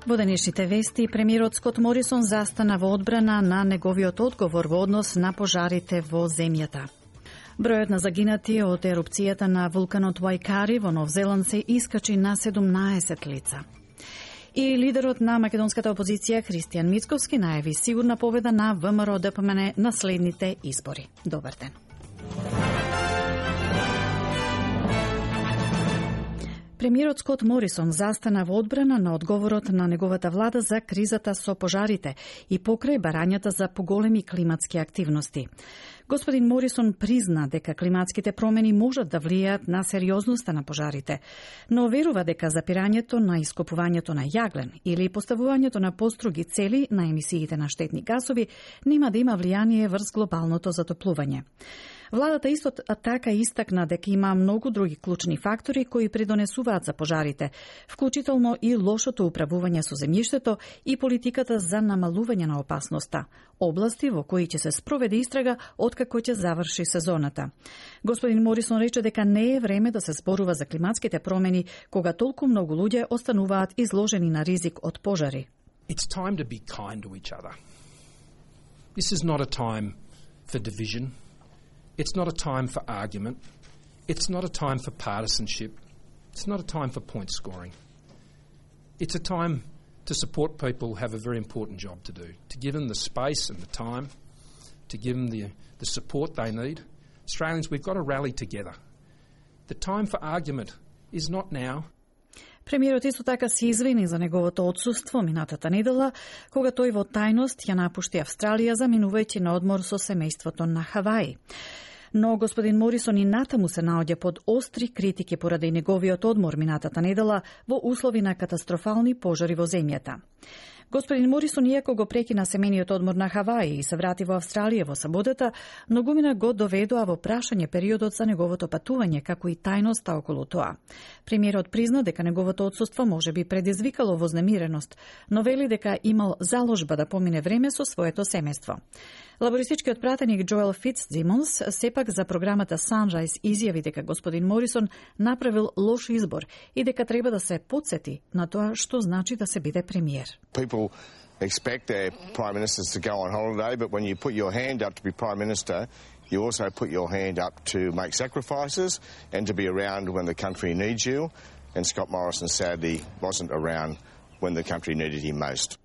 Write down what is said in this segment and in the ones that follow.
Во денешните вести, премиерот Скот Морисон застана во одбрана на неговиот одговор во однос на пожарите во земјата. Бројот на загинати од ерупцијата на вулканот Вајкари во Нов Зеланд се искачи на 17 лица. И лидерот на македонската опозиција Христијан Мицковски најави сигурна победа на ВМРО-ДПМН на следните избори. Добар ден. Премиерот Скот Морисон застана во одбрана на одговорот на неговата влада за кризата со пожарите и покрај барањата за поголеми климатски активности. Господин Морисон призна дека климатските промени можат да влијаат на сериозноста на пожарите, но верува дека запирањето на ископувањето на јаглен или поставувањето на поструги цели на емисиите на штетни гасови нема да има влијание врз глобалното затоплување. Владата исто така истакна дека има многу други клучни фактори кои придонесуваат за пожарите, вклучително и лошото управување со земјиштето и политиката за намалување на опасноста, области во кои ќе се спроведе истрага откако ќе заврши сезоната. Господин Морисон рече дека не е време да се зборува за климатските промени кога толку многу луѓе остануваат изложени на ризик од пожари. It's time to be kind to each other. This is not a time for division. It's not a time for argument. It's not a time for partisanship. It's not a time for point scoring. It's a time to support people who have a very important job to do, to give them the space and the time, to give them the support they need. Australians, we've got to rally together. The time for argument is not now. Премиерот исто така се извини за неговото отсуство минатата недела, кога тој во тајност ја напушти Австралија заминувајќи на одмор со семејството на Хаваи. Но господин Морисон и натаму се наоѓа под остри критики поради неговиот одмор минатата недела во услови на катастрофални пожари во земјата. Господин Морисон, иако го прекина семениот одмор на Хаваи и се врати во Австралија во саботата, многумина го доведоа во прашање периодот за неговото патување, како и тајноста околу тоа. Премиерот призна дека неговото отсуство може би предизвикало вознемиреност, но вели дека имал заложба да помине време со своето семејство. Лабористичкиот пратеник Джоел Фицсимонс сепак за програмата Sunrise изјави дека господин Морисон направил лош избор и дека треба да се потсети на тоа што значи да се биде премиер. People expect their prime ministers to go on holiday, but when you put your hand up to be prime minister, you also put your hand up to make sacrifices and to be around when the country needs you. And Scott Morrison sadly wasn't around when the country needed him most.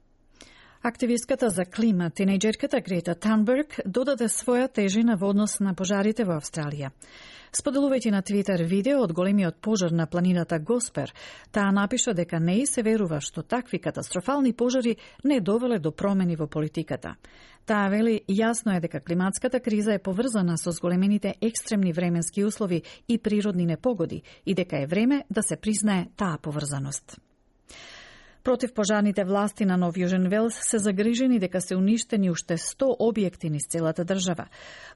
Активистката за клима, тинејџерката Грета Танберг, додаде своја тежина во однос на пожарите во Австралија. Споделувајќи на Твитер видео од големиот пожар на планината Госпер, таа напиша дека не и се верува што такви катастрофални пожари не довеле до промени во политиката. Таа вели, јасно е дека климатската криза е поврзана со зголемените екстремни временски услови и природни непогоди и дека е време да се признае таа поврзаност. Противпожарните власти на Нов Јужен Велс се загрижени дека се уништени уште 100 објекти низ целата држава.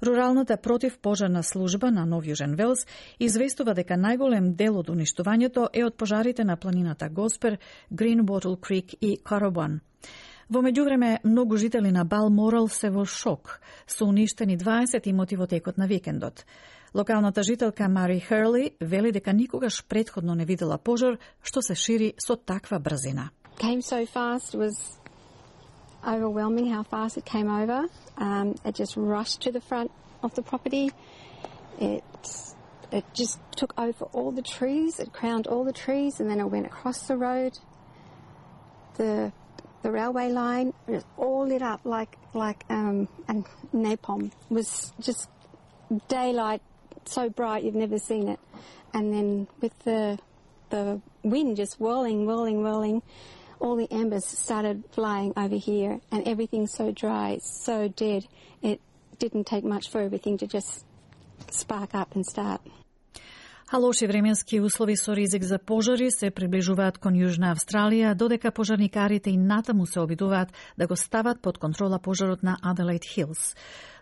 Руралната противпожарна служба на Нов Јужен Велс известува дека најголем дел од уништувањето е од пожарите на планината Госпер, Greenbottle Creek и Каробан. Во меѓувреме, многу жители на Балморал се во шок. Се уништени 20 имоти во текот на викендот. Локалната жителка Мари Херли вели дека никогаш претходно не видела пожар што се шири со таква брзина. Came so fast, it was overwhelming how fast it came over. It just rushed to the front of the property. It just took over all the trees. It crowned all the trees, and then it went across the road. The railway line, it was all lit up like and napalm. It was just daylight, so bright you've never seen it. And then with the wind just whirling, all the embers started flying over here, and everything's so dry, so dead. It didn't take much for everything to just spark up and start. А лоши временски услови со ризик за пожари се приближуваат кон Јужна Австралија, додека пожарникарите и натаму се обидуваат да го стават под контрола пожарот на Аделаид Хилс.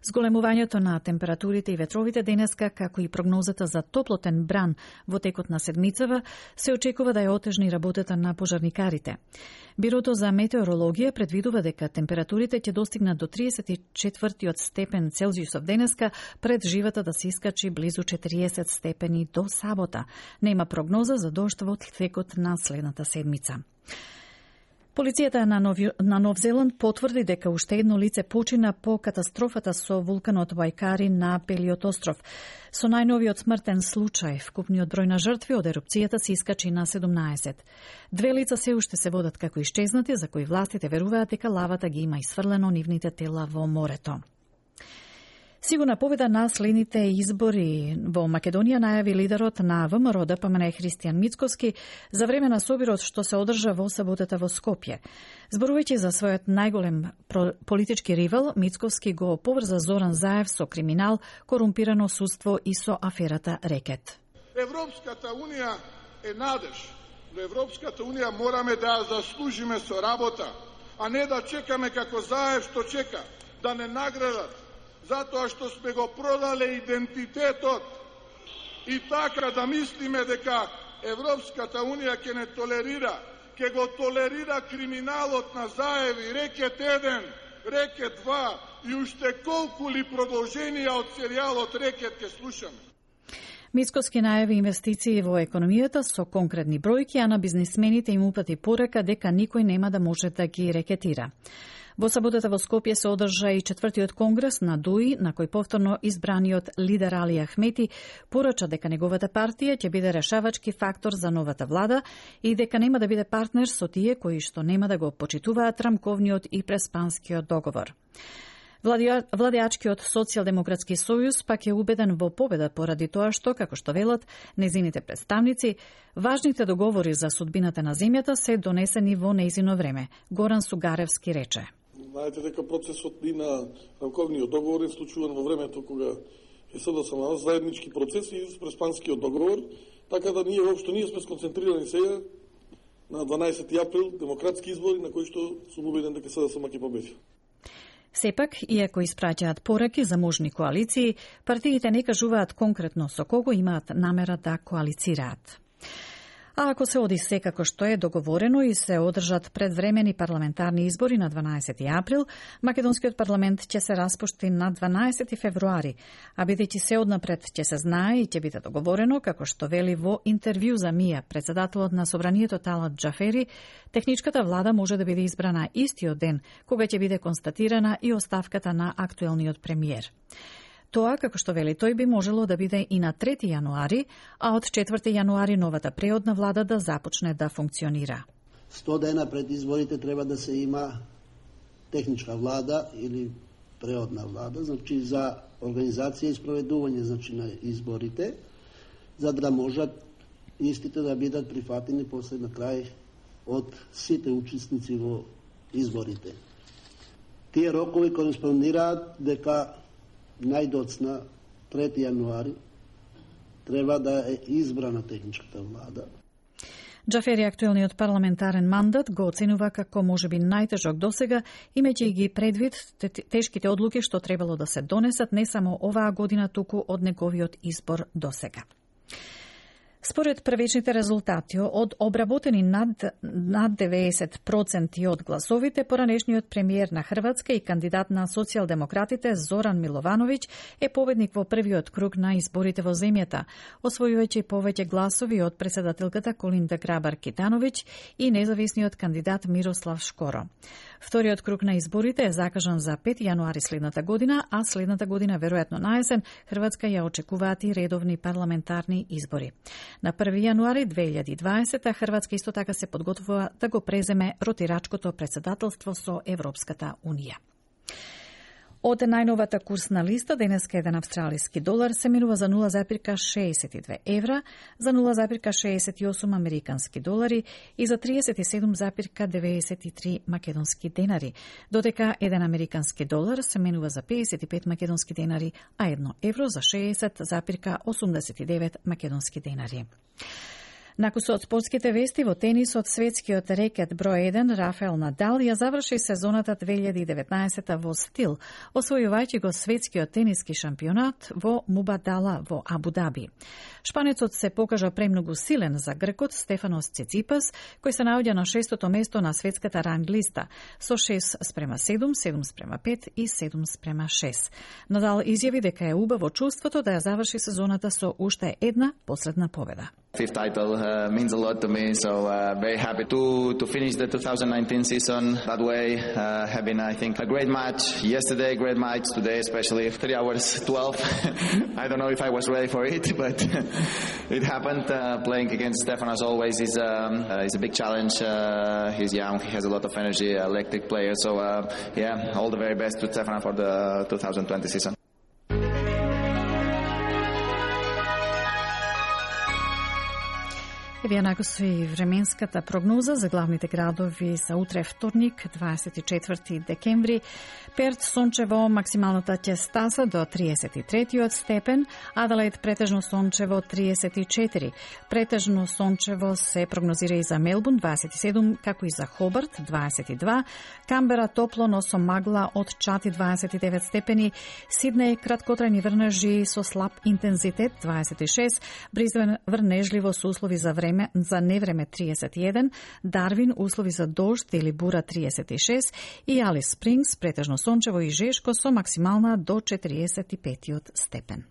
Зголемувањето на температурите и ветровите денеска, како и прогнозата за топлотен бран во текот на седмицава, се очекува да ја отежни работата на пожарникарите. Бирото за метеорологија предвидува дека температурите ќе достигнат до 34 степен Целзиусов денеска, пред живата да се искачи близу 40 степени до сабота. Нема прогноза за дожд во текот на следната седмица. Полицијата на Нов Зеланд потврди дека уште едно лице почина по катастрофата со вулканот Вајкари на Белиот остров. Со најновиот смртен случај, вкупниот број на жртви од ерупцијата се искачи на 17. Две лица се уште се водат како исчезнати, за кои властите веруваат дека лавата ги има исфрлено нивните тела во морето. Сигурна победа на следните избори во Македонија најави лидерот на ВМРО ДПМН Христијан Мицкоски за време на собирот што се одржа во саботата во Скопје. Зборувајќи за својот најголем политички ривал, Мицкоски го поврза Зоран Заев со криминал, корумпирано судство и со аферата Рекет. Европската унија е надеж. До Европската унија мораме да ја заслужиме со работа, а не да чекаме како Заев што чека, да не наградат затоа што сме го продале идентитетот и така да мислиме дека Европската унија ќе не толерира, ќе го толерира криминалот на Заев и Рекет 1, Рекет 2 и уште колку ли продолженија од серијалот Рекет ќе слушаме. Мицкоски најави инвестиции во економијата со конкретни бројки, а на бизнисмените им упати порака дека никој нема да може да ги рекетира. Во саботата во Скопје се одржа и 4-тиот конгрес на ДУИ, на кој повторно избраниот лидер Али Ахмети порача дека неговата партија ќе биде решавачки фактор за новата влада и дека нема да биде партнер со тие кои што нема да го почитуваат рамковниот и преспанскиот договор. Владеачкиот Социјалдемократски сојуз пак е убеден во победа поради тоа што, како што велат незините представници, важните договори за судбината на земјата се донесени во нејзино време. Горан Сугаревски рече. Знаете дека процесот и на рамковниот договор е случуван во времето кога е СДСМ заеднички процес и преспанскиот договор, така да ние воопшто ние сме сконцентрирани сега на 12 април демократски избори на кои што сум убеден дека СДСМ ќе победи. Сепак, иако испраќаат пораки за можни коалиции, партиите не кажуваат конкретно со кого имаат намера да коалицираат. А ако се оди се како што е договорено и се одржат предвремени парламентарни избори на 12 април, македонскиот парламент ќе се распушти на 12 февруари, а бидејќи се однапред ќе се знае и ќе биде договорено, како што вели во интервју за МИА председателот на Собранието Талат Џафери, техничката влада може да биде избрана истиот ден, кога ќе биде констатирана и оставката на актуелниот премиер. Тоа, како што вели тој, би можело да биде и на 3 јануари, а од 4 јануари новата преодна влада да започне да функционира. 100 дена пред изборите треба да се има техничка влада или преодна влада, значи за организација и спроведување на изборите, за да можат истите да бидат прифатени после на крај од сите учесници во изборите. Тие рокови кореспондираат дека најдоцна 3 јануари треба да е избрана техничката влада. Џафери актуелниот парламентарен мандат го оценува како можеби најтежок досега, имајќи ги предвид тешките одлуки што требало да се донесат не само оваа година, туку од неговиот избор досега. Според првичните резултати од обработени над 90% од гласовите, поранешниот премиер на Хрватска и кандидат на социјалдемократите Зоран Миловановиќ е победник во првиот круг на изборите во земјата, освојувајќи повеќе гласови од председателката Колинда Грабар-Китановиќ и независниот кандидат Мирослав Шкоро. Вториот круг на изборите е закажан за 5 јануари следната година, а следната година, веројатно на есен, Хрватска ја очекуваат и редовни парламентарни избори. На 1 јануари 2020 Хрватска исто така се подготвува да го преземе ротирачкото председателство со Европската унија. Од најновата курсна листа, денеска еден австралиски долар се менува за 0,62 евра, за 0,68 американски долари и за 37,93 македонски денари, додека еден американски долар се менува за 55 македонски денари, а 1 евро за 60,89 македонски денари. Накусо од спортските вести, во тенисот светскиот рекет број 1 Рафаел Надал ја заврши сезоната 2019 во стил, освојувајќи го светскиот тениски шампионат во Мубадала во Абу Даби. Шпанецот се покажа премногу силен за гркот Стефанос Циципас, кој се наоѓа на 6-то место на светската ранг листа со 6:7, 7:5 и 7:6. Надал изјави дека е убаво чувството да ја заврши сезоната со уште една последна победа. Fifth title means a lot to me, so very happy to finish the 2019 season that way, having, I think, a great match yesterday, great match today, especially 3 hours 12. I don't know if I was ready for it, but it happened. Playing against Stefan, as always, is a big challenge. He's young, he has a lot of energy, electric player, so yeah, all the very best to Stefan for the 2020 season. Еве јанако со и временската прогноза за главните градови за утре вторник, 24 декември. Перт сончево, максималната ќе стаса до 33 степен, Аделаид претежно сончево 34. Претежно сончево се прогнозира и за Мелбурн 27, како и за Хобарт 22, Камбера топло, но со магла од чати 29 степени, Сиднеј краткотрајни врнежи со слаб интензитет 26, Бризбен врнежливо со услови за невреме 31, Дарвин услови за дожд или бура 36 и Алис Спрингс претежно сончево и жешко со максимална до 45 степен.